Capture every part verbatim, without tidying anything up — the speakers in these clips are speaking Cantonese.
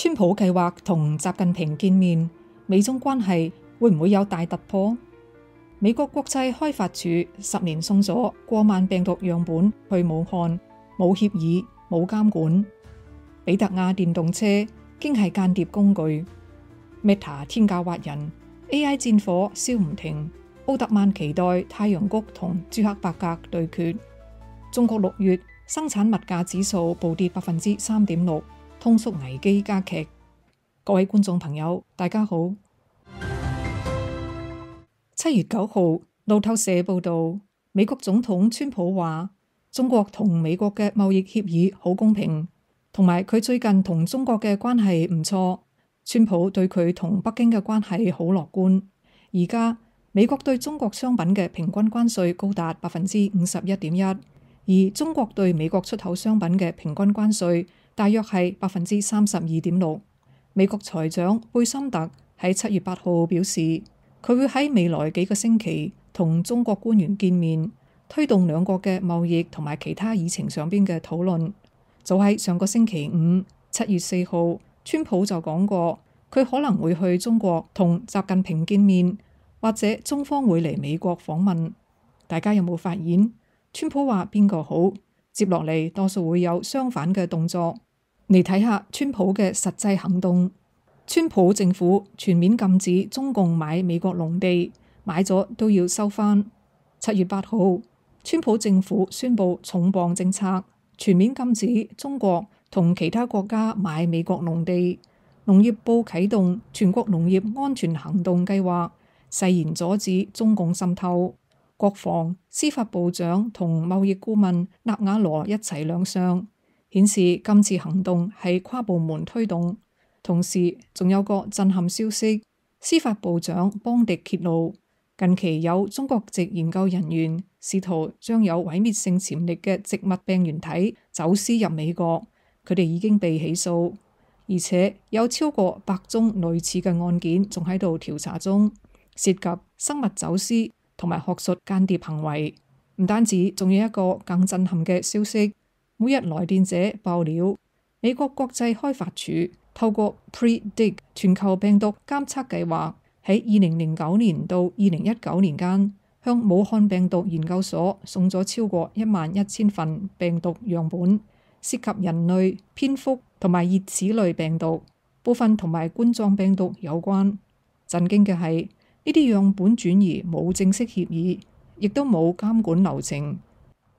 川普計劃同習近平見面，美中關係會唔會有大突破？美國國際開發署十年送咗過萬病毒樣本去武漢，冇協議，冇監管。比特亞電動車經係間諜工具。Meta 天價挖人 ，A I 戰火燒唔停。奧特曼期待太陽谷同朱克伯格對決。中國六月生產物價指數暴跌百分之三點六，通縮危機加劇。各位觀眾朋友，大家好。七月九號，路透社報道，美國總統川普話，中國同美國嘅貿易協議好公平，同埋佢最近同中國嘅關係唔錯。川普對佢同北京嘅關係好樂觀。而家美國對中國商品嘅平均關稅高達百分之五十一點一，而中國對美國出口商品嘅平均關稅大約係百分之三十二點六。美國財長貝森特喺七月八號表示，佢會喺未來幾個星期同中國官員見面，推動兩國嘅貿易同埋其他議程上邊嘅討論。早喺上個星期五，七月四號，川普就講過，佢可能會去中國同習近平見面，或者中方會嚟美國訪問。大家有冇發現？川普話邊個好，接落嚟多數會有相反嘅動作。嚟睇下川普嘅實際行動。川普政府全面禁止中共買美國農地，買咗都要收返。七月八號，川普政府宣布重磅政策，全面禁止中國同其他國家買美國農地。農業部啟動全國農業安全行動計劃，誓言阻止中共滲透。國防、司法部長同貿易顧問納瓦羅一齊亮相，顯示今次行動係跨部門推動。同時仲有個震撼消息，司法部長邦迪揭露，近期有中國籍研究人員試圖將有毀滅性潛力嘅植物病原體走私入美國，佢哋已經被起訴，而且有超過百宗類似嘅案件仲喺度調查中，涉及生物走私同埋學術間諜行為。唔單止，仲有一個更震撼嘅消息，每日來電者爆料，美國國際開發署透過 PREDICT 全球病毒監測計劃，喺二零零九年到二零一九年間，向武漢病毒研究所送咗超過一萬一千份病毒樣本，涉及人類、蝙蝠同埋熱齒類病毒，部分同埋冠狀病毒有關。震驚嘅係，呢啲樣本轉移冇正式協議，亦都冇監管流程。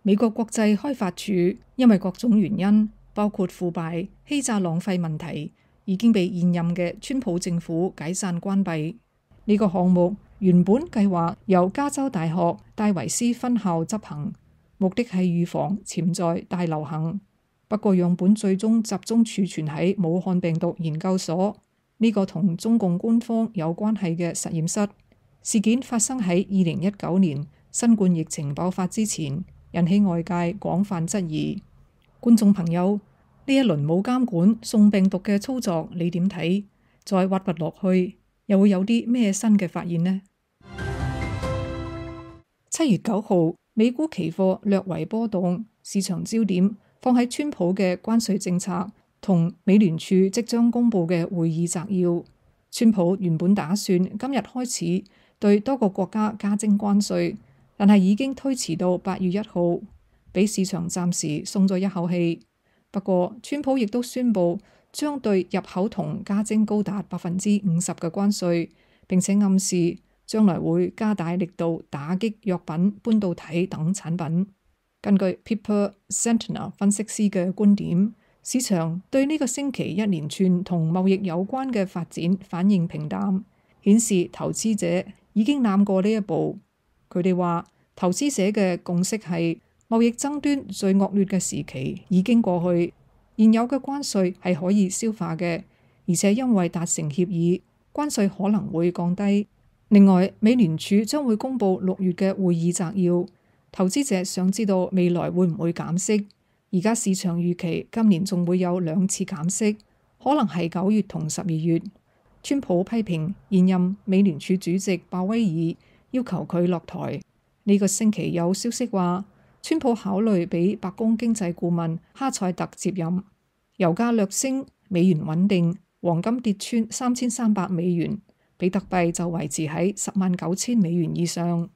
美國國際開發署因為各種原因，包括腐敗、欺詐、浪費問題，已經被現任嘅川普政府解散關閉。呢個項目原本計劃由加州大學戴維斯分校執行，目的係預防潛在大流行。不過樣本最終集中儲存喺武漢病毒研究所，呢個同中共官方有關係嘅實驗室。事件發生喺二零一九年新冠疫情爆發之前，引起外界廣泛質疑。觀眾朋友，呢一輪冇監管送病毒嘅操作，你點睇？再挖掘落去，又會有啲咩新嘅發現呢？七月九號，美股期貨略為波動，市場焦點放喺川普嘅關稅政策同美聯儲即將公布嘅會議摘要。川普原本打算今日開始對多個國家加徵關稅，但係已經推遲到八月一號，俾市場暫時鬆咗一口氣。不過，川普亦都宣布將對入口銅加徵高達百分之五十嘅關稅，並且暗示將來會加大力度打擊藥品、半導體等產品。根據 Piper Sandler 分析師嘅觀點，市場對呢個星期一連串同貿易有關嘅發展反應平淡，顯示投資者已經攬過呢一步。佢哋話，投資者嘅共識係貿易爭端最惡劣嘅時期已經過去，現有嘅關稅係可以消化嘅，而且因為達成協議，關稅可能會降低。另外，美聯儲將會公布六月嘅會議摘要，投資者想知道未來會唔會減息。而家市場預期今年仲會有兩次減息，可能係九月同十二月。川普批評現任美聯儲主席鮑威爾，要求佢落台。呢個星期有消息話，川普考慮俾白宮經濟顧問哈塞特接任。油價略升，美元穩定，黃金跌穿三千三百美元，比特幣就維持喺十萬九千美元以上。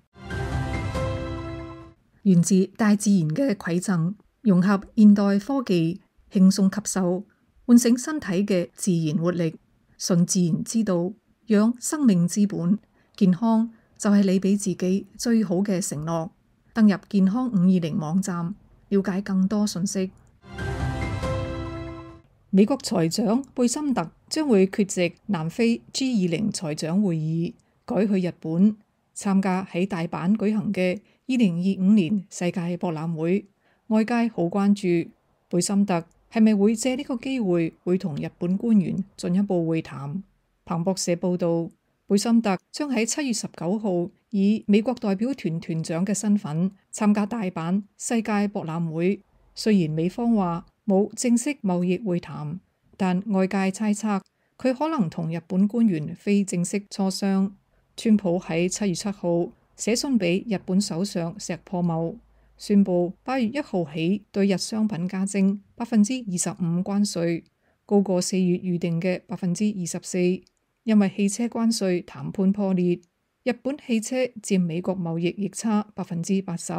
源自大自然嘅饋贈，融合現代科技，輕鬆吸收，喚醒身體嘅自然活力。順自然之道，養生命之本，健康就係你俾自己最好嘅承諾。登入健康五二零網站，了解更多信息。美國財長貝森特將會缺席南非 G 二十財長會議，改去日本參加喺大阪舉行嘅二零二五年世界博覽會。外界好關注貝森特係咪會借呢個機會會同日本官員進一步會談。彭博社報道，貝森特將喺七月十九號以美國代表團團長嘅身份參加大阪世界博覽會。雖然美方話冇正式貿易會談，但外界猜測佢可能同日本官員非正式磋商。川普喺七月七號寫信俾日本首相石破茂，宣布八月一號起對日商品加徵百分之二十五關稅，高過四月預定嘅百分之二十四。因為汽車關稅談判破裂，日本汽車佔美國貿易逆差百分之八十，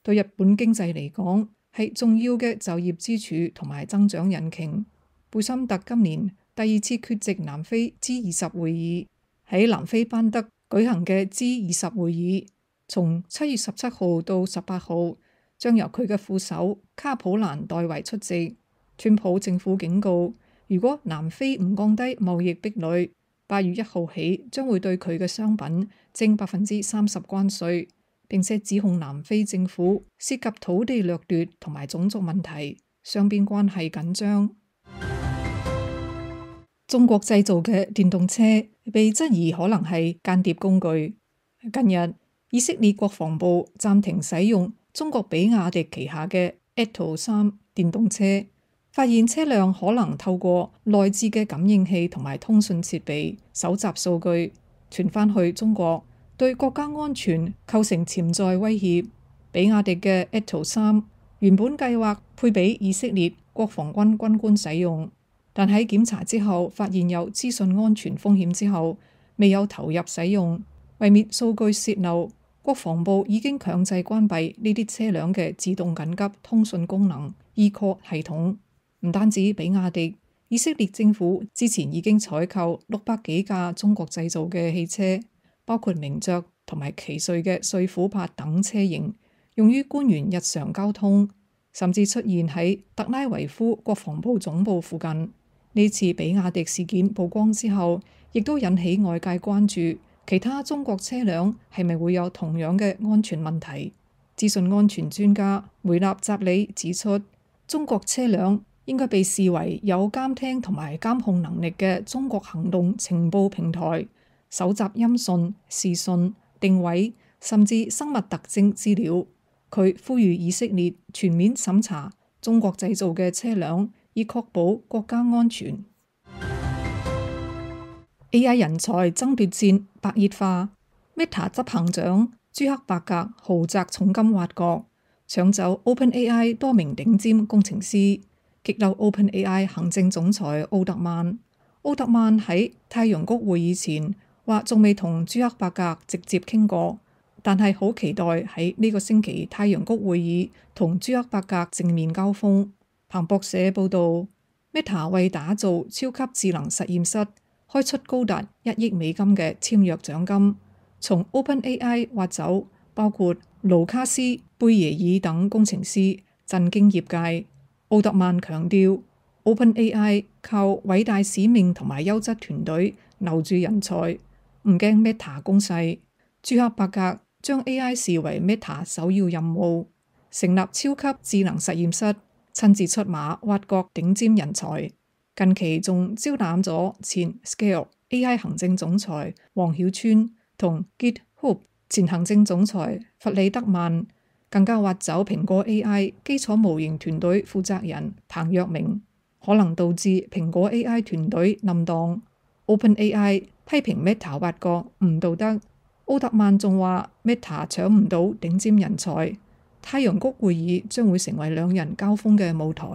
對日本經濟嚟講係重要嘅就業支柱同埋增長引擎。貝森特今年第二次缺席南非 G 二十會議，喺南非班德舉行嘅 G 二十會議，從七月十七號到十八號，將由佢嘅副手卡普蘭代為出席。川普政府警告，如果南非唔降低貿易壁壘，八月一號起將會對佢嘅商品徵百分之三十關稅，並且指控南非政府涉及土地掠奪同埋種族問題，雙邊關係緊張。中國製造嘅電動車被質疑可能係間諜工具。近日，以色列國防部暫停使用中國比亞迪旗下嘅 Atto 三電動車，發現車輛可能透過內置嘅感應器同埋通訊設備搜集數據，傳翻去中國，對國家安全構成潛在威脅。比亞迪嘅 Atto 三原本計劃配俾以色列國防軍軍官使用，但喺檢查之後發現有資訊安全風險之後，未有投入使用。為免數據洩漏，國防部已經強制關閉呢啲車輛嘅自動緊急通訊功能 eCall 系統。唔單止比亞迪，以色列政府之前已經採購六百幾架中國製造嘅汽車，包括名爵同埋奇瑞嘅瑞虎八等車型，用於官員日常交通，甚至出現喺特拉維夫國防部總部附近。呢次比亞迪事件曝光之後，亦都引起外界關注，其他中國車輛係咪會有同樣嘅安全問題？資訊安全專家梅納扎里指出，中國車輛應該被視為有監聽同埋監控能力嘅中國行動情報平台，搜集音訊、視訊、定位甚至生物特徵資料。佢呼籲以色列全面審查中國製造嘅車輛，以確保國家安全。A I 人才爭奪戰白熱化 ，Meta 執行長朱克伯格豪擲重金挖角，搶走 OpenAI 多名頂尖工程師。激嬲 OpenAI 行政總裁奧特曼。奧特曼喺太陽谷會議前話仲未同朱克伯格直接傾過，但係好期待喺呢個星期太陽谷會議同朱克伯格正面交鋒。彭博社報道， Meta 為打造超級智能實驗室開出高達一億美金嘅簽約獎金，從 OpenAI 挖走包括盧卡斯、貝耶爾等工程師，震驚業界。奧特曼強調 ，OpenAI 靠偉大使命同埋優質團隊留住人才，唔驚 Meta 攻勢。朱克伯格將 A I 視為 Meta 首要任務，成立超級智能實驗室，親自出馬挖角頂尖人才。近期仲招攬咗前 Scale A I 行政總裁黃曉川同 GitHub 前行政總裁弗里德曼。更加挖走蘋果 A I 基礎模型團隊負責人彭若明，可能導致蘋果 A I 團隊冧檔。OpenAI 批評 Meta 挖角唔道德，奧特曼仲話 Meta 搶唔到頂尖人才。太陽谷會議將會成為兩人交鋒嘅舞台。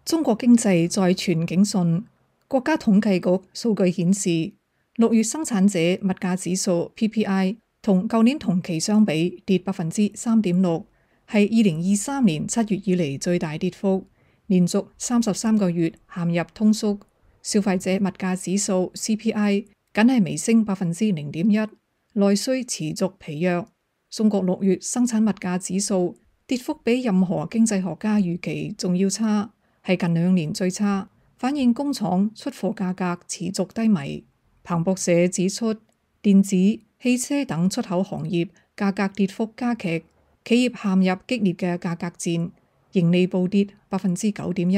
中國經濟再傳警訊。國家統計局數據顯示，六月生產者物價指數 P P I 同舊年同期相比跌百分之三點六，係二零二三年七月以嚟最大跌幅，連續三十三個月陷入通縮。消費者物價指數 C P I 僅係微升百分之零點一，內需持續疲弱。中國六月生產物價指數跌幅比任何經濟學家預期仲要差，係近兩年最差，反映工廠出貨價格持續低迷。彭博社指出，電子、汽車等出口行業價格跌幅加劇，企業陷入激烈嘅價格戰，盈利暴跌百分之九點一，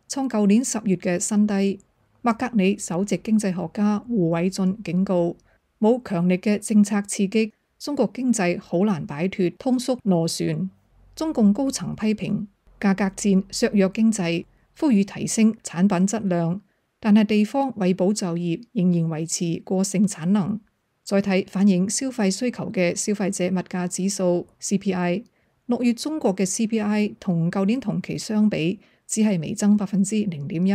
創舊年十月嘅新低。麥格里首席經濟學家胡偉俊警告，冇強力嘅政策刺激，中國經濟好難擺脫通縮螺旋。中共高層批評價格戰削弱經濟，呼籲提升產品質量，但係地方為保就業仍然維持過剩產能。再睇反映消費需求嘅消費者物價指數 C P I， 六月中國嘅 C P I 同舊年同期相比只係微增百分之零點一，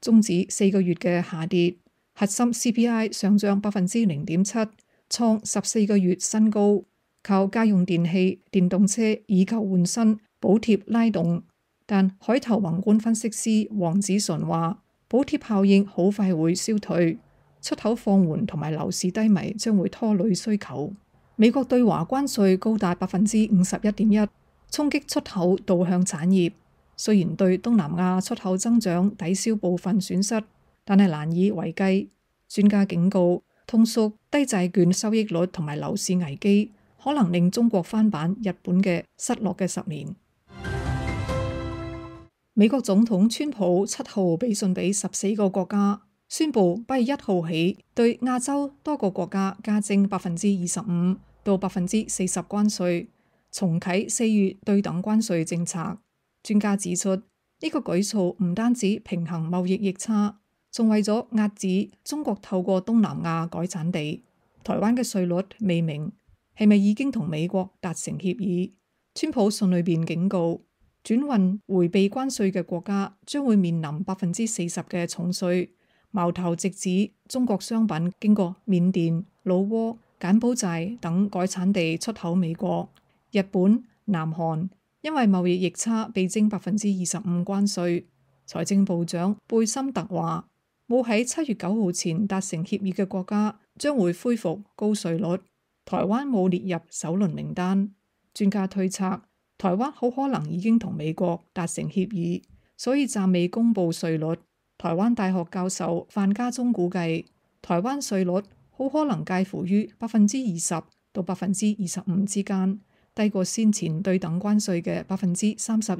終止四個月嘅下跌。核心 C P I 上漲百分之零點七，創十四個月新高，靠家用電器、電動車以舊換新補貼拉動。但海投宏觀分析師黃子純話，補貼效應好快會消退，出口放緩同埋樓市低迷將會拖累需求。美國對華關稅高達百分之五十一點一，衝擊出口導向產業。雖然對東南亞出口增長抵消部分損失，但係難以為繼。專家警告，通縮、低債券收益率同埋樓市危機，可能令中國翻版日本嘅失落嘅十年。美國總統川普七號俾信俾十四個國家，宣布八月一號起對亞洲多個國家加徵百分之二十五到百分之四十關稅，重啟四月對等關稅政策。專家指出，呢、這個舉措唔單止平衡貿易逆差，仲為咗遏止中國透過東南亞改產地。台灣嘅稅率未明，係咪已經同美國達成協議？川普信裏邊警告，轉運迴避關稅嘅國家將會面臨百分之四十嘅重稅，矛頭直指中國商品經過緬甸、老撾、柬埔寨等改產地出口美國。日本、南韓因為貿易逆差被徵百分之二十五關稅。財政部長貝森特話，冇喺七月九號前達成協議嘅國家將會恢復高稅率。台灣冇列入首輪名單。專家推測，台灣好可能已經同美國達成協議，所以暫未公布稅率。台灣大學教授范家忠估計，台灣稅率好可能介乎於百分之二十到百分之二十五之間，低過先前對等關稅嘅百分之三十二。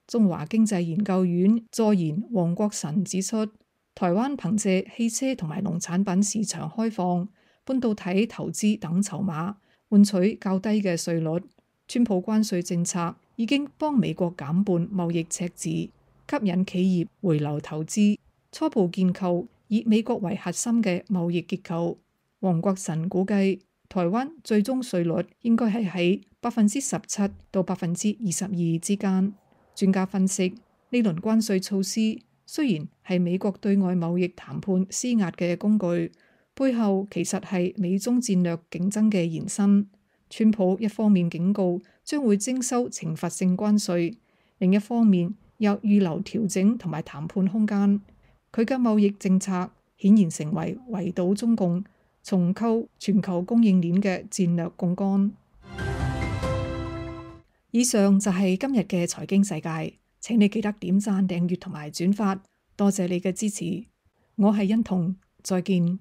中華經濟研究院助研黃國臣指出，台灣憑借汽車同埋農產品市場開放、半導體投資等籌碼，換取較低嘅稅率。川普關稅政策已經幫美國減半貿易赤字，吸引企業回流投資，初步建構以美國為核心嘅貿易結構。黃國臣估計，台灣最終稅率應該係喺百分之十七到百分之二十二之間。專家分析，呢輪關稅措施雖然係美國對外貿易談判施壓嘅工具，背後其實係美中戰略競爭嘅延伸。川普一方面警告將會徵收懲罰性關稅，另一方面又預留調整同埋談判空間。佢嘅貿易政策顯然成為圍堵中共、重構全球供應鏈嘅戰略槓桿。以上就係今日嘅財經世界，請你記得點讚、訂閱同埋轉發，多謝你嘅支持。我係欣彤，再見。